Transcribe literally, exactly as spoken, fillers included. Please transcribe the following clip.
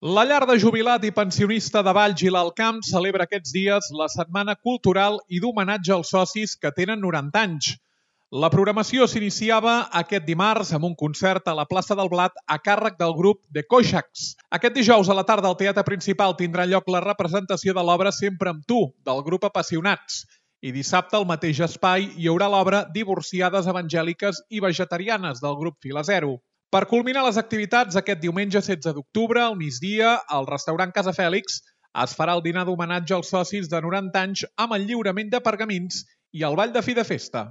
La llar de jubilat i pensionista de Valls i l'Alt Camp celebra aquests dies la setmana cultural i d'homenatge als socis que tenen noranta anys. La programació s'iniciava aquest dimarts amb un concert a la plaça del Blat a càrrec del grup The Coixacs. Aquest dijous a la tarda al Teatre Principal tindrà lloc la representació de l'obra Sempre amb tu, del grup Apassionats. I dissabte al mateix espai hi haurà l'obra Divorciades evangèliques i vegetarianes del grup Fila Zero. Per culminar les activitats, aquest diumenge setze d'octubre, al migdia, al restaurant Casa Fèlix, es farà el dinar d'homenatge als socis de noranta anys amb el lliurament de pergamins i el ball de fi de festa.